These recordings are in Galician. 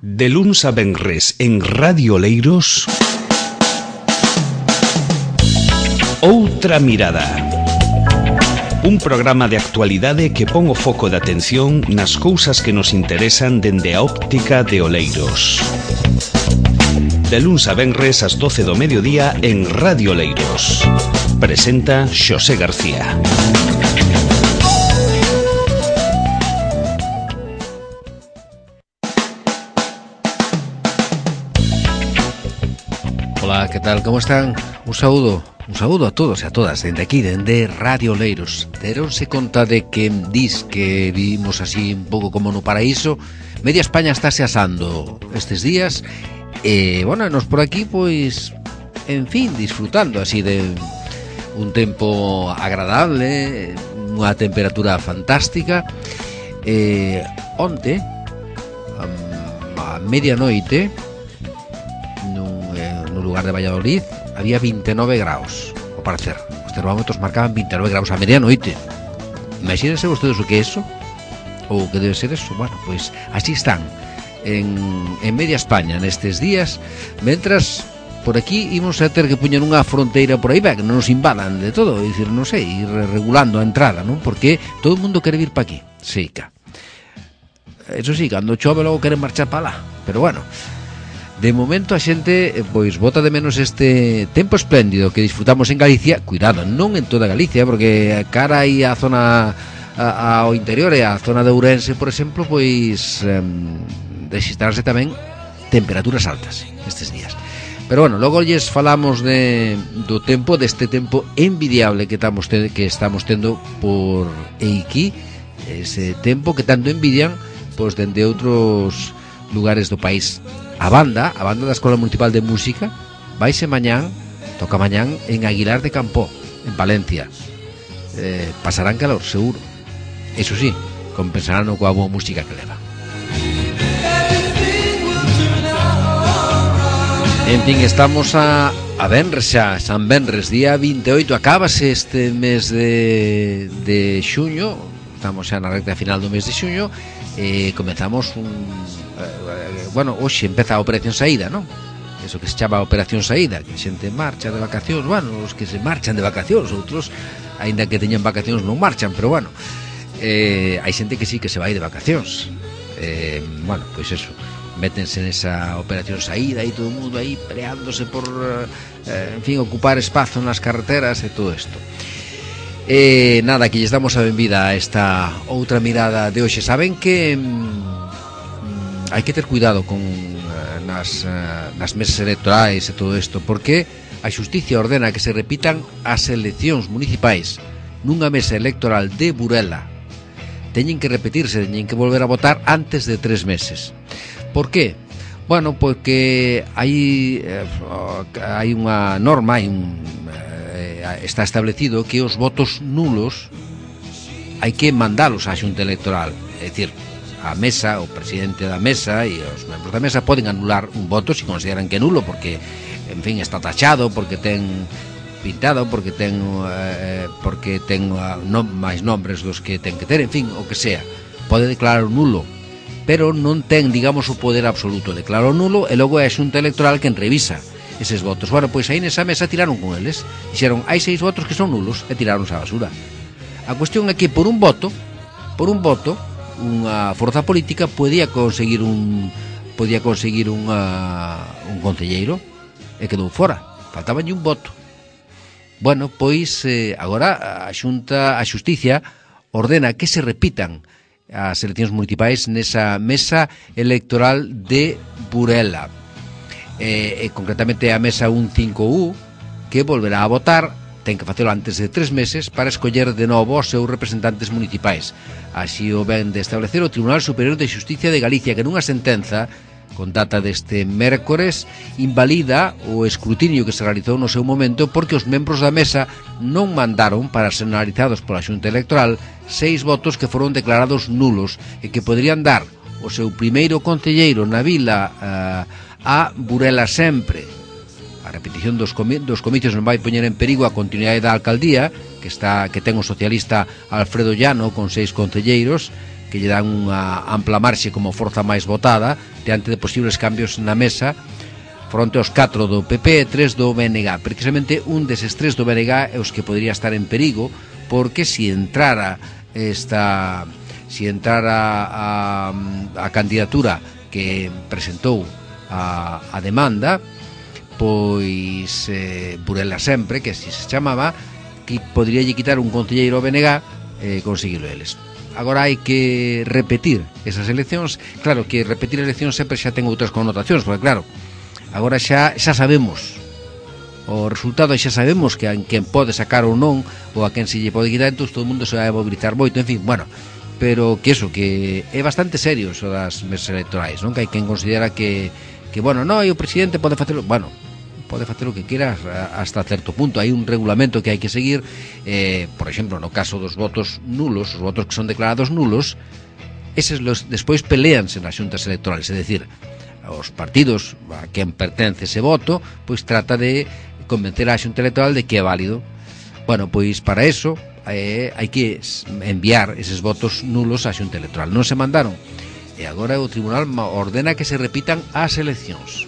De luns a venres en Radio Oleiros, Outra Mirada. Un programa de actualidade que pon o foco de atención nas cousas que nos interesan dende a óptica de Oleiros. De luns a venres ás 12 do mediodía en Radio Oleiros. Presenta Xosé García. Hola, ¿qué tal? ¿Cómo están? Un saúdo a todos e a todas dende aquí, dende Radio Oleiros. Deronse conta de que dis que vivimos así un pouco como no paraíso. Media España estáse asando estes días e, bueno, nos por aquí, pois, en fin, disfrutando así de un tempo agradable, unha temperatura fantástica. Onte, a medianoite, no lugar de Valladolid, había 29 graus, ao parecer. Os termómetros marcaban 29 graus a medianoite. Imagínense vostedes o que é eso, ou o que debe ser eso. Bueno, pois así están en media España nestes días, mentras por aquí imos a ter que puñer unha fronteira por aí, que non nos invadan de todo, é dicir, non sei, ir regulando a entrada, non? Porque todo o mundo quere vir pa aquí, seica. Eso sí, cando chove logo queren marchar pa lá, pero bueno, de momento a xente pois bota de menos este tempo espléndido que disfrutamos en Galicia. Cuidado, non en toda Galicia, porque cara aí a zona ao interior e a zona de Ourense, por exemplo, pois registrarse tamén temperaturas altas estes días. Pero bueno, logo lles falamos do tempo, deste tempo envidiable que estamos tendo por aquí, ese tempo que tanto envidian pois dende outros lugares do país. A banda da Escola Municipal de Música toca mañán en Aguilar de Campoo, en Valencia. Pasarán calor, seguro. Eso sí, compensarán coa boa música que leva. En fin, estamos a Venres xa, San Venres, día 28. Acábase este mes de xuño. Estamos xa na recta final do mes de xuño. Comezamos hoxe empeza a Operación Saída, non? Eso que se chama Operación Saída, que a xente marcha de vacacións. Bueno, os que se marchan de vacacións, outros, aínda que teñan vacacións, non marchan, pero bueno, hai xente que sí que se vai de vacacións. Bueno, pois eso, métense nesa Operación Saída e todo o mundo aí peleándose por, en fin, ocupar espazo nas carreteras e todo isto. Nada, que lles damos a benvida a esta outra mirada de hoxe. Saben que hai que ter cuidado con nas mesas electorais e todo isto, porque a xusticia ordena que se repitan as eleccións municipais nunha mesa electoral de Burela. Teñen que repetirse, teñen que volver a votar antes de 3 meses. Por qué? Bueno, porque hai unha norma, está establecido que os votos nulos hai que mandalos á Xunta Electoral. É dicir, a mesa, o presidente da mesa e os membros da mesa poden anular un voto se consideran que é nulo, porque, en fin, está tachado, porque ten pintado, porque ten máis nombres dos que ten que ter, en fin, o que sea. Pode declarar nulo, pero non ten, digamos, o poder absoluto. Declarou nulo e logo é a Xunta Electoral quen revisa eses votos. Bueno, pois aí nesa mesa tiraron con eles. Dixeron, hai 6 votos que son nulos e tiraron a basura. A cuestión é que por un voto, unha forza política podía conseguir un concelleiro e quedou fora. Faltabanlle un voto. Bueno, pois agora a Xusticia ordena que se repitan as eleccións municipais nesa mesa electoral de Burela. Concretamente a mesa 15U, que volverá a votar, ten que facelo antes de 3 meses para escoller de novo os seus representantes municipais. Así o ven de establecer o Tribunal Superior de Xusticia de Galicia, que nunha sentenza con data deste mércores invalida o escrutinio que se realizou no seu momento porque os membros da mesa non mandaron para ser analizados pola Xunta Electoral 6 votos que foron declarados nulos e que poderían dar o seu primeiro concelleiro na vila a Burela Sempre. A repetición dos comicios non vai poñer en perigo a continuidade da alcaldía que ten o socialista Alfredo Llano con 6 concelleiros que lle dan unha ampla marxe como forza máis votada diante de posibles cambios na mesa fronte aos 4 do PP e 3 do BNG. Precisamente un deses 3 do BNG é os que podría estar en perigo, porque se entrara a candidatura que presentou a demanda, pois Burela Sempre, que así se chamaba, que podría lle quitar un concelleiro ao BNG e conseguilo eles. Agora hai que repetir esas eleccións. Claro que repetir eleccións sempre xa ten outras connotacións, porque claro, agora xa sabemos o resultado, xa sabemos que a quen pode sacar ou non, ou a quen se lle pode quitar, entón todo o mundo se vai a mobilizar moito, en fin, bueno, pero que eso, que é bastante serio eso das mesas electorais, non? Que hai quen considera que bueno, non, e o presidente pode facelo, bueno, pode facer o que queira hasta certo punto. Hai un regulamento que hai que seguir, por exemplo, no caso dos votos nulos, os votos que son declarados nulos, eses despois peleanse nas xuntas electorales, é dicir, os partidos a quen pertence ese voto, pois trata de convencer a xunta electoral de que é válido. Bueno, pois para eso hai que enviar eses votos nulos á xunta electoral. Non se mandaron, e agora o tribunal ordena que se repitan as eleccións.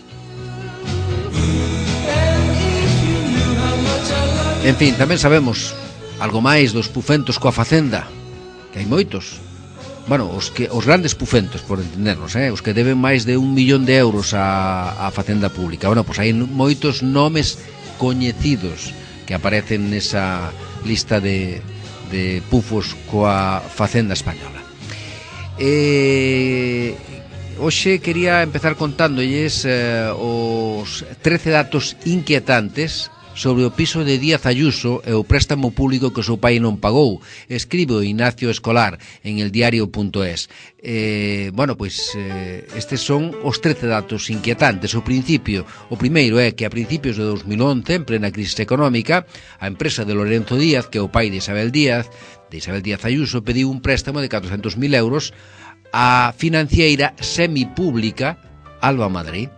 En fin, tamén sabemos algo máis dos pufentos coa Facenda, que hai moitos. Bueno, os grandes pufentos, por entendernos, os que deben máis de 1 millón de euros á Facenda Pública. Bueno, pois hai moitos nomes coñecidos que aparecen nesa lista de pufos coa Facenda española. Hoxe quería empezar contándolles os 13 datos inquietantes sobre o piso de Díaz Ayuso e o préstamo público que o seu pai non pagou. Escribe Ignacio Escolar en eldiario.es. Bueno, pois estes son os 13 datos inquietantes. O primeiro é que a principios de 2011, en plena crisis económica, a empresa de Lorenzo Díaz, que é o pai de Isabel Díaz Ayuso, pediu un préstamo de 400.000 euros á financiera semipública Alba Madrid.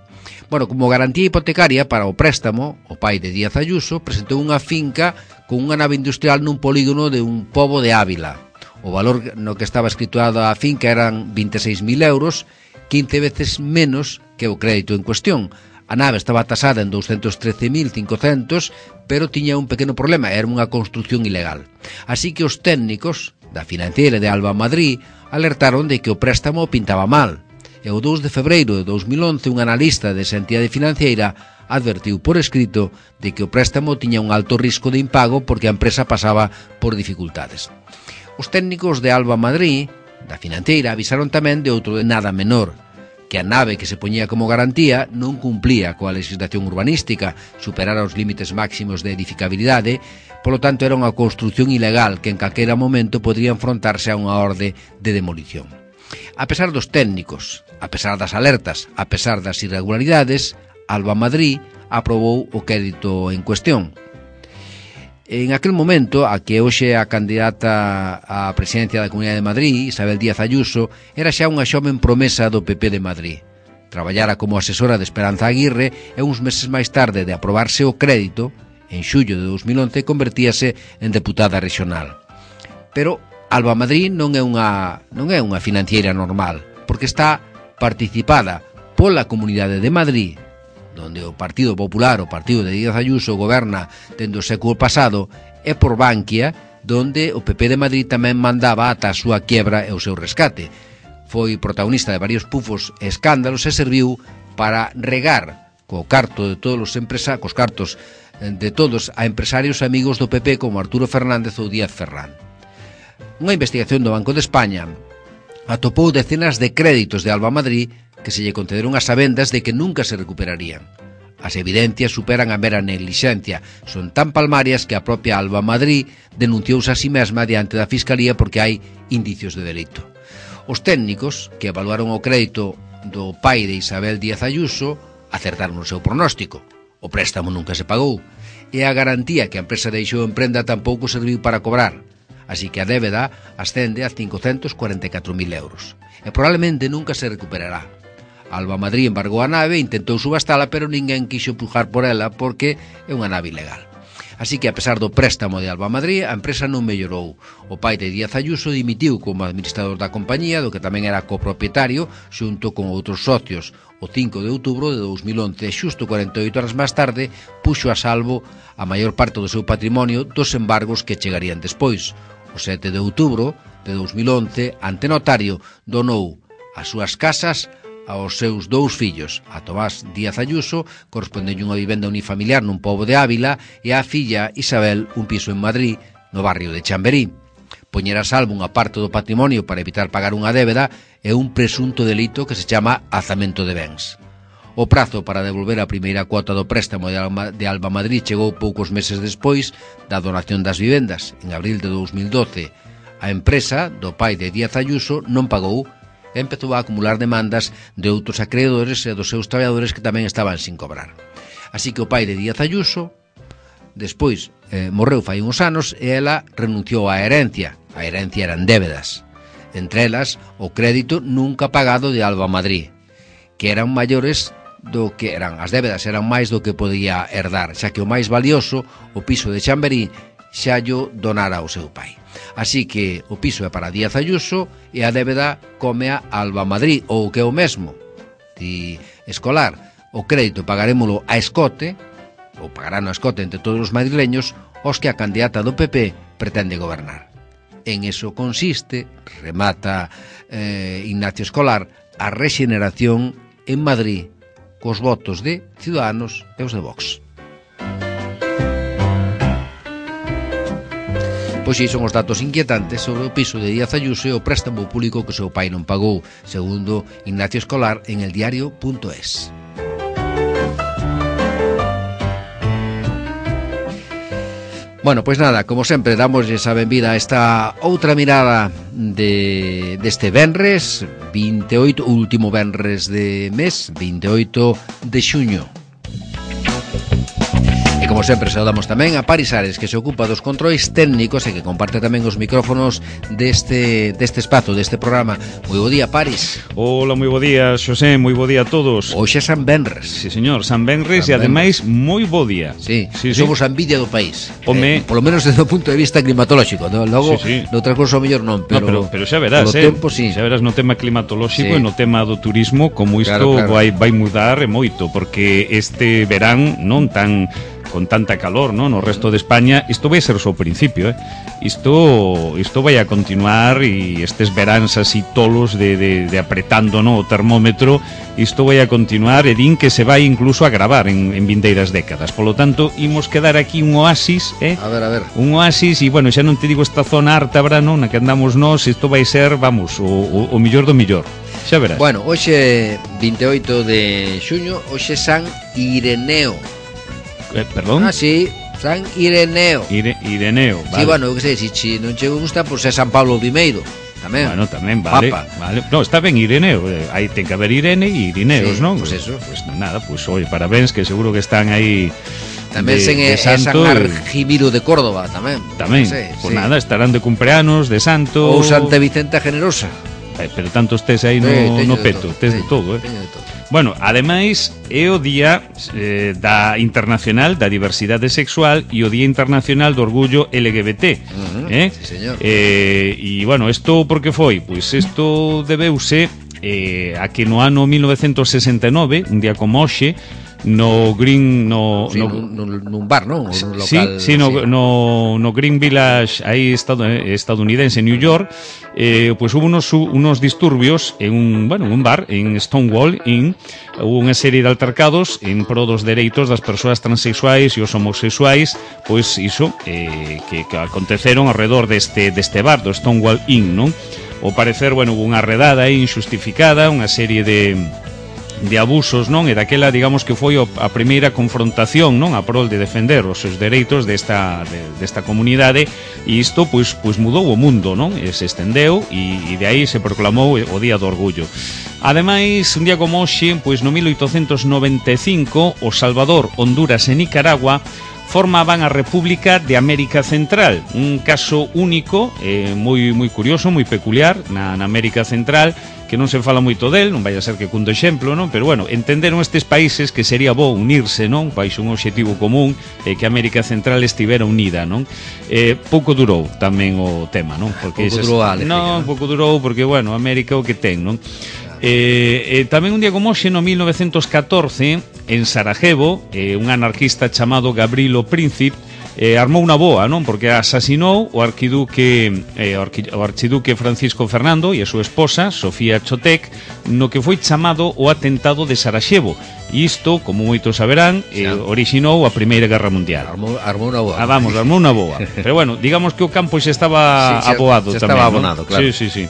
Bueno, como garantía hipotecaria para o préstamo, o pai de Díaz Ayuso presentou unha finca con unha nave industrial nun polígono de un pobo de Ávila. O valor no que estaba escriturado a finca eran 26.000 euros, 15 veces menos que o crédito en cuestión. A nave estaba tasada en 213.500, pero tiña un pequeno problema, era unha construción ilegal. Así que os técnicos da financiera de Alba Madrid alertaron de que o préstamo pintaba mal. E o 2 de febreiro de 2011 un analista desa entidade financiera advertiu por escrito de que o préstamo tiña un alto risco de impago porque a empresa pasaba por dificultades. Os técnicos de Alba Madrid, da financeira, avisaron tamén de outro de nada menor, que a nave que se poñía como garantía non cumplía coa legislación urbanística, superara os límites máximos de edificabilidade, polo tanto era unha construción ilegal que en calquera momento podría enfrontarse a unha orde de demolición. A pesar dos técnicos, a pesar das alertas, a pesar das irregularidades, Alba Madrid aprobou o crédito en cuestión. En aquel momento, a que hoxe a candidata á presidencia da Comunidade de Madrid, Isabel Díaz Ayuso, era xa unha xoven promesa do PP de Madrid. Traballara como asesora de Esperanza Aguirre e uns meses máis tarde de aprobarse o crédito, en xullo de 2011, convertíase en deputada regional. Pero Alba Madrid non é unha financiera normal, porque está participada pola Comunidade de Madrid, donde o Partido Popular, o partido de Díaz Ayuso, goberna dende o século pasado, e por Bankia, donde o PP de Madrid tamén mandaba ata a súa quiebra e o seu rescate. Foi protagonista de varios pufos e escándalos e serviu para regar cos cartos de todos a empresarios amigos do PP como Arturo Fernández ou Díaz Ferrán. Unha investigación do Banco de España atopou decenas de créditos de Alba Madrid que se lle concederon as sabendas de que nunca se recuperarían. As evidencias superan a mera neglixencia, son tan palmarias que a propia Alba Madrid denunciouse a si mesma diante da Fiscalía porque hai indicios de delito. Os técnicos que evaluaron o crédito do pai de Isabel Díaz Ayuso acertaron o seu pronóstico. O préstamo nunca se pagou e a garantía que a empresa deixou en prenda tampouco serviu para cobrar. Así que a débeda ascende a 544.000 euros. E probablemente nunca se recuperará. Alba Madrid embargou a nave e intentou subastala, pero ninguén quixo pujar por ela porque é unha nave ilegal. Así que, a pesar do préstamo de Alba Madrid, a empresa non mellorou. O pai de Díaz Ayuso dimitiu como administrador da compañía, do que tamén era copropietario, xunto con outros socios. O 5 de outubro de 2011, xusto 48 horas máis tarde, puxo a salvo a maior parte do seu patrimonio dos embargos que chegarían despois. O 7 de outubro de 2011, ante notario, donou as súas casas aos seus dous fillos, a Tomás Díaz Ayuso, correspondente unha vivenda unifamiliar nun pobo de Ávila, e a filla Isabel un piso en Madrid, no barrio de Chamberí. Poñer a salvo unha parte do patrimonio para evitar pagar unha débeda é un presunto delito que se chama alzamento de bens. O prazo para devolver a primeira cuota do préstamo de Alba Madrid chegou poucos meses despois da donación das vivendas, en abril de 2012. A empresa do pai de Díaz Ayuso non pagou e empezou a acumular demandas de outros acreedores e dos seus traballadores que tamén estaban sin cobrar. Así que o pai de Díaz Ayuso despois morreu fai uns anos e ela renunciou á herencia. A herencia eran débedas, entre elas o crédito nunca pagado de Alba Madrid, que eran maiores do que eran, as débedas eran máis do que podía herdar, xa que o máis valioso, o piso de Chamberí, xa llo donara ao seu pai. Así que o piso é para Díaz Ayuso e a débeda come a Alba Madrid, ou que é o mesmo. Ti escolar, o crédito pagarémolo a escote, ou pagarán a escote entre todos os madrileños, os que a candidata do PP pretende gobernar. En eso consiste, remata Ignacio Escolar, a rexeneración en Madrid cos votos de Ciudadanos e os de Vox. Pois son os datos inquietantes sobre o piso de Díaz Ayuso e o préstamo público que o seu pai non pagou, segundo Ignacio Escolar en eldiario.es. Bueno, pois nada, como sempre, damosles a benvida a esta outra mirada deste venres, 28, último venres de mes, 28 de xuño. Como sempre, saudamos tamén a Paris Ares, que se ocupa dos controis técnicos e que comparte tamén os micrófonos deste espazo, deste programa. Moi bo día, Paris. Hola, moi bo día, Xosé, moi bo día a todos. Hoxe é San Benres. Sí, señor, San Benres e ademais moi bo día. Sí, somos a envidia do país. Polo menos desde o punto de vista climatolóxico, ¿no? Logo, noutra cousa ao mellor non, pero xa verás, tempo, sí. Xa verás no tema climatolóxico e no tema do turismo como isto vai mudar moito, porque este verán non tan con tanta calor, ¿no? No resto de España, isto vai ser o seu principio, Isto vai a continuar e estes veráns así tolos de apretando, ¿no? O termómetro, isto vai a continuar e din que se vai incluso a agravar en vindeiras décadas. Polo tanto, imos quedar aquí un oasis, A ver. Un oasis e, bueno, xa non te digo esta zona ártabra, non? Na que andamos nós, isto vai ser, vamos, o millor do millor. Xa verás. Bueno, hoxe 28 de xuño, hoxe San Ireneo. Perdón? Ah, sí, San Ireneo. Ireneo, vale. Sí, bueno, eu que sei, se non che gusta, pois é San Pablo I, tamén. Bueno, tamén, vale. Papa. Vale. No, está ben Ireneo, aí ten que haber Irene e Irineos, sí, non? Pois eso. Pois nada, pois oye, parabéns, que seguro que están aí tamén de santo, San Argimiro de Córdoba, tamén. Tamén, pois nada, estarán de cumpleanos, de santo. Ou Santa Vicenta Generosa. Pero tanto estés aí no peto, tes de todo, Teño de todo. Bueno, ademais é o día da internacional da diversidade sexual e o día internacional do orgullo LGBT. Sí, señor. E bueno, isto por que foi? Pois isto debeuse a que no ano 1969, un día como hoxe, no Green nun bar, non? Nun local, sí, no Green Village aí estadounidense, New York, pois hubo unos disturbios en un bar en Stonewall Inn. Hubo unha serie de altercados en pro dos dereitos das persoas transexuais e os homosexuais, pois iso que aconteceron alrededor deste bar do Stonewall Inn, non? Ao parecer, bueno, hubo unha redada aí injustificada, unha serie de abusos, non? E daquela, digamos que foi a primeira confrontación, non? A prol de defender os seus dereitos desta comunidade, e isto pois mudou o mundo, non? E se estendeu e de aí se proclamou o Día do Orgullo. Ademais, un día como hoxe, pois no 1895, o Salvador, Honduras e Nicaragua formaban a República de América Central, un caso único, moi curioso, moi peculiar na América Central, que non se fala moito del, non vai a ser que cun do exemplo, non? Pero bueno, entenderon estes países que sería bo unirse, non? Baixo un obxectivo común e que América Central estivera unida, non? Pouco durou tamén o tema, non? Porque pouco durou a alegría, non, pouco durou porque, bueno, América o que ten, non? Tamén un día como hoxe, no 1914, en Sarajevo, un anarquista chamado Gavrilo Princip armou unha boa, non? Porque asasinou o arquiduque Francisco Fernando e a súa esposa, Sofía Chotek, no que foi chamado o atentado de Sarajevo. E isto, como moitos saberán, orixinou a Primeira Guerra Mundial. Armou unha boa. Armou unha boa. Pero bueno, digamos que o campo xa estaba aboado tamén. Estaba abonado, claro. Sí.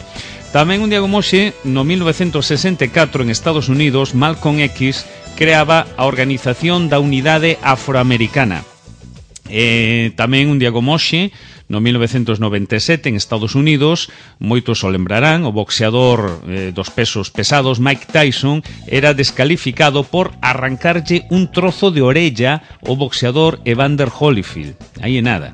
Tamén un día como hoxe, no 1964, en Estados Unidos, Malcolm X creaba a Organización da Unidade Afroamericana. Tamén un día como hoxe, no 1997, en Estados Unidos, moitos o lembrarán, o boxeador dos pesos pesados Mike Tyson era descalificado por arrancarlle un trozo de orella ao boxeador Evander Holyfield. Aí é nada.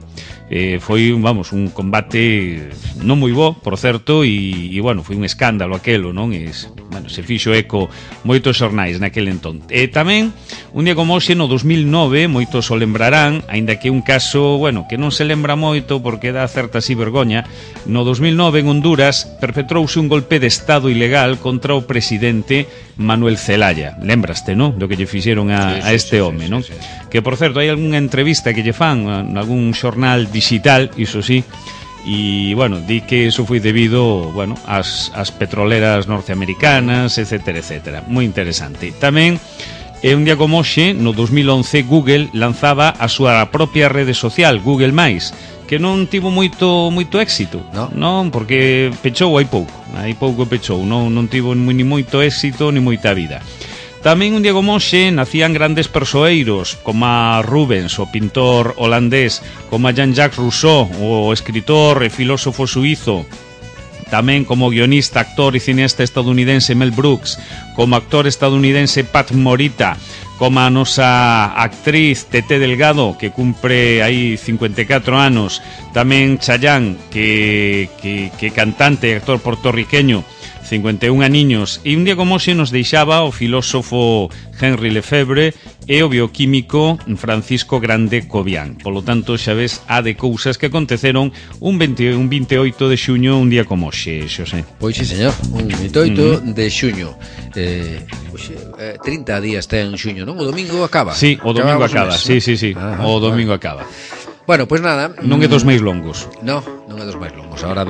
Foi, vamos, un combate non moi bo, por certo, e bueno, foi un escándalo aquelo, non? Bueno, se fixo eco moitos xornais naquele entón. Tamén, un día como hoxe, no 2009, moitos o lembrarán, aínda que un caso, bueno, que non se lembra moito porque dá certa así vergoña. No 2009, en Honduras, perpetrouse un golpe de estado ilegal contra o presidente Manuel Zelaya. Lembraste, non? Do que lle fixeron a este home, non? Sí. Que, por certo, hai algunha entrevista que lle fan en algún xornal digital, iso sí, e, bueno, di que iso foi debido, bueno, ás petroleras norteamericanas, etcétera, etcétera. Moi interesante. Tamén, un día como hoxe, no 2011, Google lanzaba a súa propia rede social, Google+, que non tivo moito éxito, non? Porque pechou hai pouco pechou, non tivo ni moito éxito ni moita vida. Tamén un día como hoxe nacían grandes persoeiros como a Rubens, o pintor holandés, como a Jean-Jacques Rousseau, o escritor e filósofo suízo, tamén como guionista, actor e cineasta estadounidense Mel Brooks, como actor estadounidense Pat Morita, como a nosa actriz Tete Delgado, que cumpre aí 54 anos, tamén Chayanne, que cantante e actor puertorriqueño, 51 aniños, e un día como hoxe nos deixaba o filósofo Henry Lefebvre e o bioquímico Francisco Grande Cobian. Polo tanto, xa ves, a de cousas que aconteceron un 28 de xuño, un día como hoxe, Xosé. Pois sí, señor, un 28 de xuño. 30 días ten xuño, non? O domingo acaba. Sí, o domingo acaba, sí. O domingo acaba. Bueno, pois nada, non é dos máis longos. Non é dos máis longos. Ahora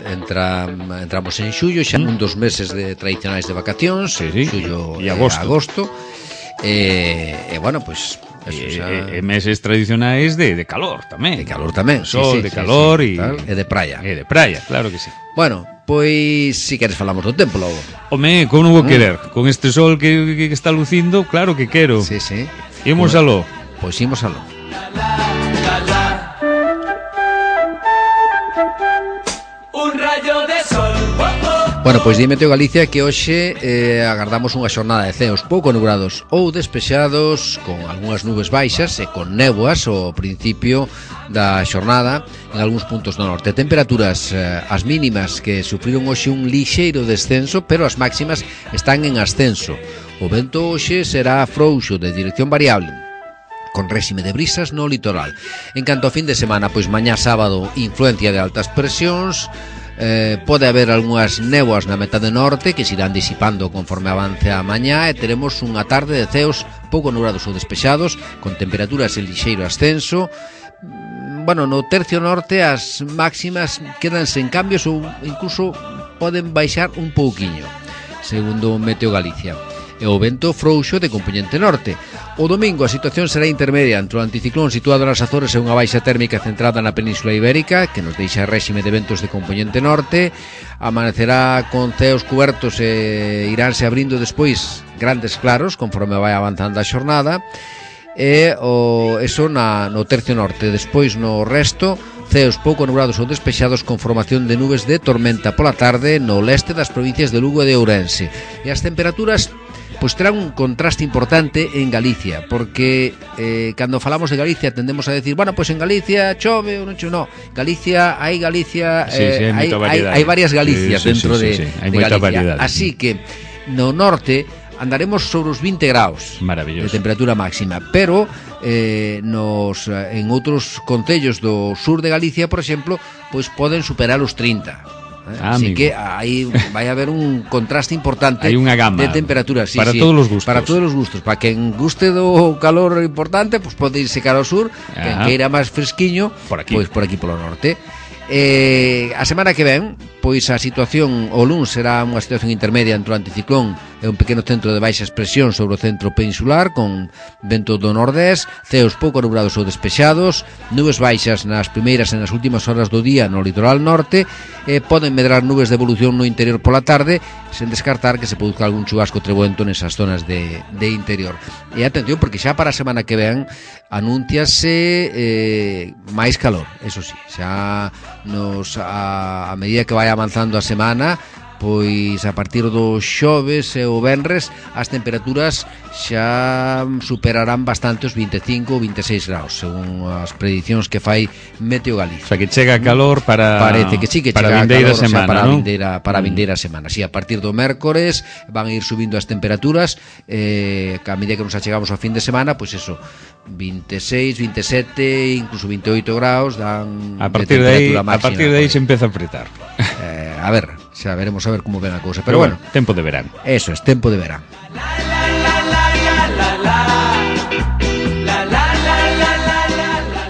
entramos en xullo, xa un dos meses tradicionais de vacacións, xullo e agosto. Bueno, pois meses tradicionais de calor tamén. De calor tamén, sol, de calor e de praia. E de praia, claro que sí. Bueno, pois si queres falamos do tempo logo. Home, como non vou querer? Con este sol que está lucindo, claro que quero. Sí. Imos aló. Pois imos aló. Bueno, pois dime Teo Galicia que hoxe agardamos unha xornada de ceos pouco nubrados ou despexados, con algunhas nubes baixas e con néboas ao principio da xornada en algúns puntos do norte. Temperaturas as mínimas que sufriron hoxe un lixeiro descenso, pero as máximas están en ascenso. O vento hoxe será frouxo de dirección variable, con réxime de brisas no litoral. En canto ao fin de semana, pois mañá sábado, influencia de altas presións. Pode haber algunhas néboas na metade norte que se irán disipando conforme avance a mañá, e teremos unha tarde de ceos pouco nubrados ou despexados, con temperaturas en lixeiro ascenso. Bueno, no tercio norte as máximas quedanse en cambios ou incluso poden baixar un pouquiño, segundo Meteo Galicia. E o vento frouxo de compoñente norte. O domingo a situación será intermedia entre o anticiclón situado nas Azores e unha baixa térmica centrada na Península Ibérica, que nos deixa réxime de ventos de compoñente norte. Amanecerá con ceos cubertos e iránse abrindo despois grandes claros conforme vai avanzando a xornada. E eso no tercio norte. Despois no resto, ceos pouco nubrados ou despexados con formación de nubes de tormenta pola tarde no leste das provincias de Lugo e de Ourense. E as temperaturas pois terá un contraste importante en Galicia, porque cando falamos de Galicia tendemos a decir, bueno, pois en Galicia chove ou non chove, no, Galicia, hai varias Galicias dentro de moita Galicia, variedade. así que no norte andaremos sobre os 20 graus Maravilloso. de temperatura máxima, pero en outros concellos do sur de Galicia, por exemplo, pois poden superar os 30. Así que aí vai haber un contraste importante hai unha gama de temperaturas, para todos os gustos. Para todos os gustos, para quen guste do calor importante, pois pode irse cara ao sur, quen queira máis fresquiño, pois por aquí polo norte. A semana que ven, pois a situación o luns será unha situación intermedia entre o anticiclón e un pequeno centro de baixa expresión sobre o centro peninsular con vento do nordés, ceos pouco nublados ou despexados, nubes baixas nas primeiras e nas últimas horas do día no litoral norte, poden medrar nubes de evolución no interior pola tarde, sen descartar que se produzca algún chubasco trebuento nesas zonas de interior. E atención, porque xa para a semana que ven anúnciase máis calor, eso sí, xa a medida que vai avanzando a semana, pois a partir do xoves e o venres as temperaturas xa superarán bastante os 25 ou 26 graus, según as predicións que fai Meteo Galicia. O sea, que chega calor para parece que sí, que para chega a vindeira calor, semana, o sea, para a ¿no? vindeira semana. Si, a partir do mércores van a ir subindo as temperaturas, que a medida que nos achegamos ao fin de semana, pois eso, 26, 27, incluso 28 graus dan a partir de temperatura máxima. A partir de aí se empeza a apretar. A ver, xa veremos a ver como ven a cousa, pero bueno, tempo de verán. Eso es, tempo de verán.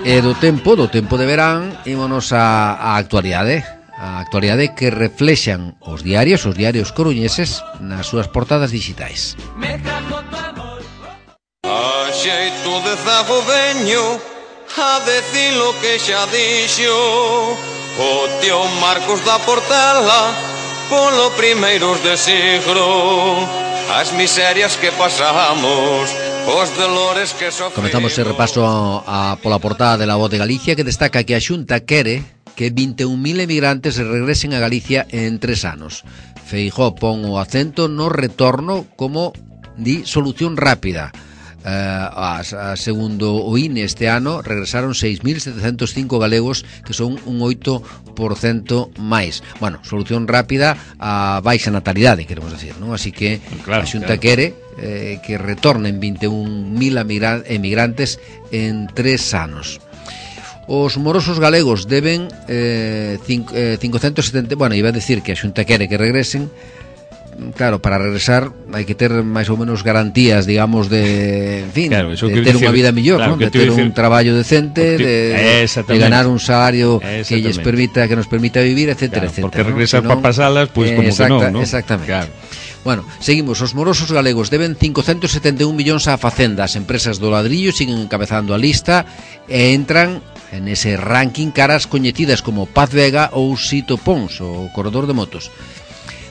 E do tempo de verán ímonos a actualidade. A actualidade que reflexan os diarios coruñeses nas súas portadas digitais. A xeito de zago veño a decir lo que xa dixo o tío Marcos da Portela polo primeiros de siglo, as miserias que pasamos, os dolores que sofrimos. Comenzamos ese repaso pola portada de La Voz de Galicia, que destaca que a Xunta quere que 21.000 emigrantes regresen a Galicia en 3 anos. Feijóo pon o acento no retorno como di solución rápida. Segundo o INE, este ano regresaron 6.705 galegos, que son un 8% máis. Bueno, solución rápida a baixa natalidade, queremos decir, ¿no? Así que claro, a Xunta quere que retornen 21.000 emigrantes en 3 anos. Os morosos galegos deben 570, bueno, iba a decir que a Xunta quere que regresen. Claro, para regresar hai que ter máis ou menos garantías, digamos, de, en fin, claro, de ter unha vida mellor, claro, ¿no? De ter un traballo decente, de ganar un salario que nos permita vivir, etcétera, claro, etcétera. Porque regresar para pasalas, pois como que non, ¿no? Exactamente. Claro. Bueno, seguimos. Os morosos galegos deben 571 millóns á Facenda. As empresas do ladrillo siguen encabezando a lista e entran en ese ranking caras coñecidas como Paz Vega ou Sito Pons, o corredor de motos.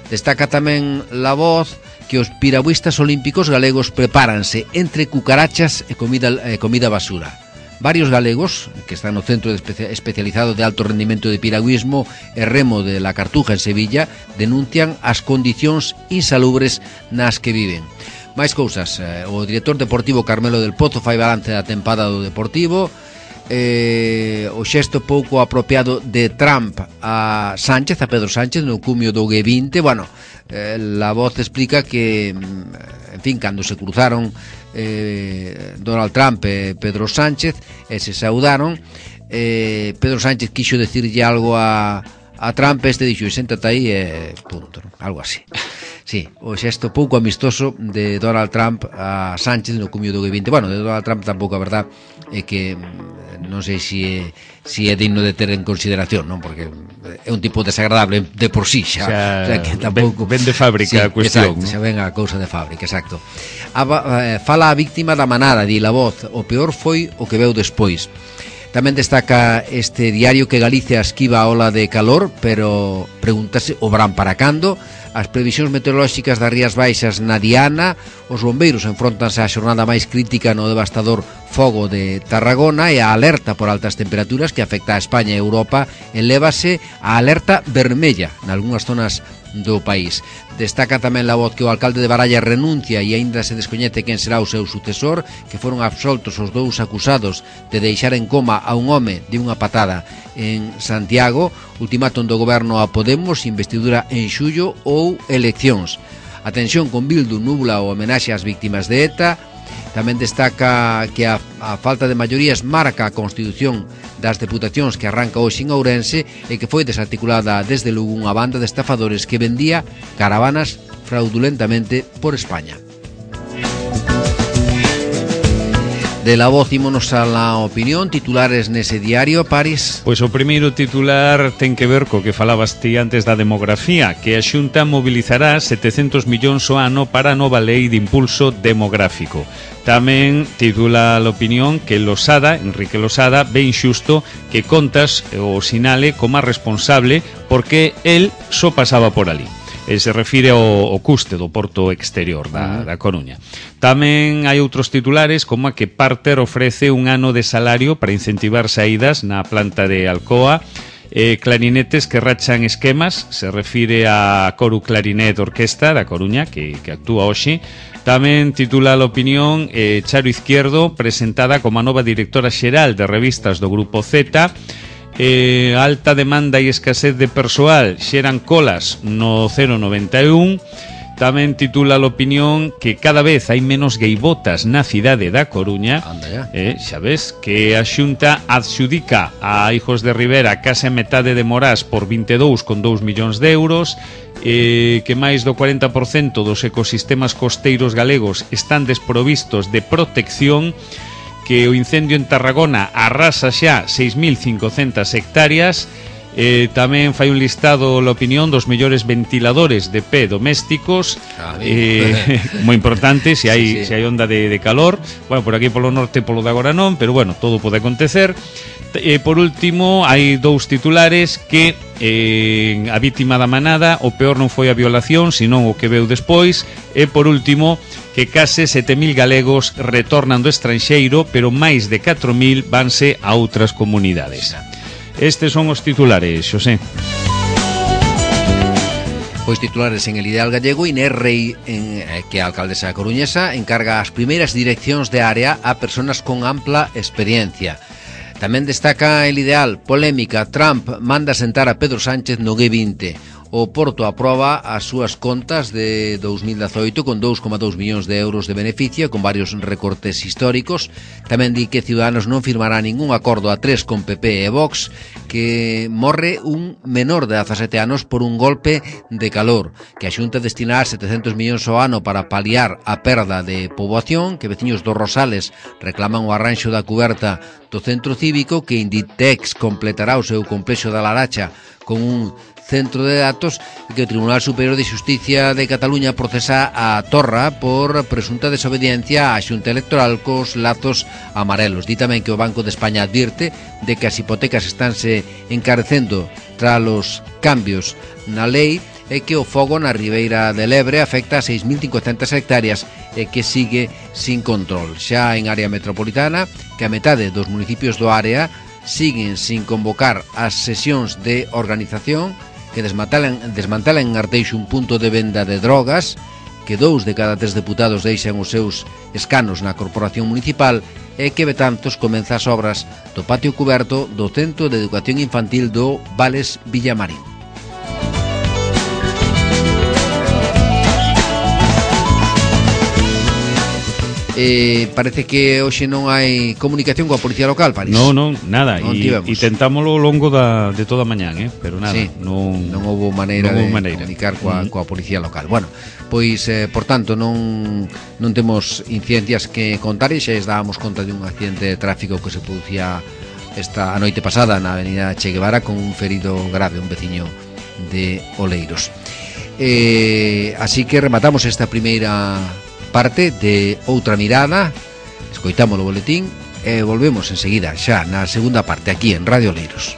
Destaca tamén La Voz que os piragüistas olímpicos galegos prepáranse entre cucarachas e comida basura. Varios galegos que están no centro especializado de alto rendimento de piragüismo e remo de La Cartuja en Sevilla denuncian as condicións insalubres nas que viven. Máis cousas, o director deportivo Carmelo del Pozo fai balance da tempada do Deportivo. O xesto pouco apropiado de Trump a Pedro Sánchez no cumio do G20. Bueno, La Voz explica que, en fin, cando se cruzaron Donald Trump e Pedro Sánchez e se saudaron, Pedro Sánchez quixo decirlle algo a Trump, este dixo, séntate aí e punto, ¿no? Algo así. Sí, o xesto pouco amistoso de Donald Trump a Sánchez no cumio do G20. Bueno, de Donald Trump tampouco a verdad é que non sei se é digno de ter en consideración, non? Porque é un tipo desagradable de por sí xa, o sea que tampouco ven de fábrica, sí, a cuestión, exacto, xa ven a cousa de fábrica, exacto. Fala a víctima da manada, di La Voz, o peor foi o que veu despois. Tamén destaca este diario que Galicia esquiva a ola de calor, pero pregúntase o verán para cando. as previsións meteorolóxicas das Rías Baixas na Diana, os bombeiros enfrontanse á xornada máis crítica no devastador fogo de Tarragona e a alerta por altas temperaturas que afecta a España e Europa elévase a alerta vermella nalgúnas zonas do país. Destaca tamén la voz que o alcalde de Baralla renuncia e aínda se descoñece quen será o seu sucesor, que foron absoltos os dous acusados de deixar en coma a un home de unha patada en Santiago, ultimátum do goberno a Podemos, investidura en xullo ou eleccións. A tensión con Bildu nubla o homenaxe ás víctimas de ETA. Tamén destaca que a falta de maiorías marca a constitución das deputacións que arranca hoxe en Ourense e que foi desarticulada desde Lugo unha banda de estafadores que vendía caravanas fraudulentamente por España. De la voz ímonos a la opinión, titulares nese diario, Paris. Pois o primeiro titular ten que ver co que falabas ti antes da demografía, que a Xunta mobilizará 700 millóns ao ano para a nova lei de impulso demográfico. Tamén titula a opinión que Losada, Enrique Losada, ve inxusto que Contas o sinale como responsable porque el só pasaba por ali. Se refire ao custe do porto exterior da Coruña. Tamén hai outros titulares como a que Parter ofrece un ano de salario para incentivar saídas na planta de Alcoa, clarinetes que rachan esquemas, se refire a Coru Clarinet Orquesta da Coruña que actúa hoxe. Tamén titula a opinión Charo Izquierdo, presentada como a nova directora xeral de revistas do Grupo Z. Alta demanda e escasez de persoal xeran colas no 091. Tamén titula a opinión que cada vez hai menos gaivotas na cidade da Coruña. Xa ves que a Xunta adxudica a Hijos de Rivera case a metade de Morás por 22,2 millóns de euros, que máis do 40% dos ecosistemas costeiros galegos están desprovistos de protección, que o incendio en Tarragona arrasa xa 6.500 hectáreas. Tamén fai un listado a opinión dos mellores ventiladores de pé domésticos, moi importante se hai onda de calor. Bueno, por aquí polo norte polo de agora non, pero bueno, todo pode acontecer. Por último, hai dous titulares que a vítima da manada, o peor non foi a violación, senón o que veu despois. E por último, que case 7.000 galegos retornan do estranxeiro, pero máis de 4.000 vanse a outras comunidades. Estes son os titulares, Xosé. Pois titulares en el ideal gallego. Inés Rei, que é a alcaldesa coruñesa, encarga as primeiras direccións de área a persoas con ampla experiencia. Tamén destaca el ideal, polémica, Trump manda sentar a Pedro Sánchez no G20. O Porto aproba as súas contas de 2018 con 2,2 millóns de euros de beneficio, con varios recortes históricos. Tamén di que Ciudadanos non firmará ningún acordo a 3 con PP e Vox, que morre un menor de 17 anos por un golpe de calor, que a Xunta destinará 700 millóns ao ano para paliar a perda de poboación, que veciños dos Rosales reclaman o arranxo da cuberta do centro cívico, que Inditex completará o seu complexo da Laracha con un centro de datos, e que o Tribunal Superior de Xusticia de Cataluña procesa a Torra por presunta desobediencia á Xunta Electoral cos lazos amarelos. Di tamén que o Banco de España advirte de que as hipotecas estánse encarecendo tras os cambios na lei e que o fogo na Ribeira del Ebre afecta a 6.500 hectáreas e que sigue sin control. Xa en área metropolitana, que a metade dos municipios do área siguen sin convocar as sesións de organización, que desmantelan en Arteixo un punto de venda de drogas, que 2 de cada 3 deputados deixan os seus escanos na corporación municipal e que Betanzos comeza as obras do patio cuberto do Centro de Educación Infantil do Vales Villamarín. Parece que hoxe non hai comunicación coa Policía Local, París. Non, nada. E tentámoslo ao longo de toda a mañán, pero nada. Sí, non houve maneira de comunicar coa Policía Local. Bueno, pois, por tanto, non temos incidencias que contar, e xa dábamos conta de un accidente de tráfico que se producía a noite pasada na avenida Che Guevara con un ferido grave, un veciño de Oleiros. Así que rematamos esta primeira parte de Outra Mirada. Escoitamos o boletín e volvemos enseguida xa na segunda parte aquí en Radio Oleiros.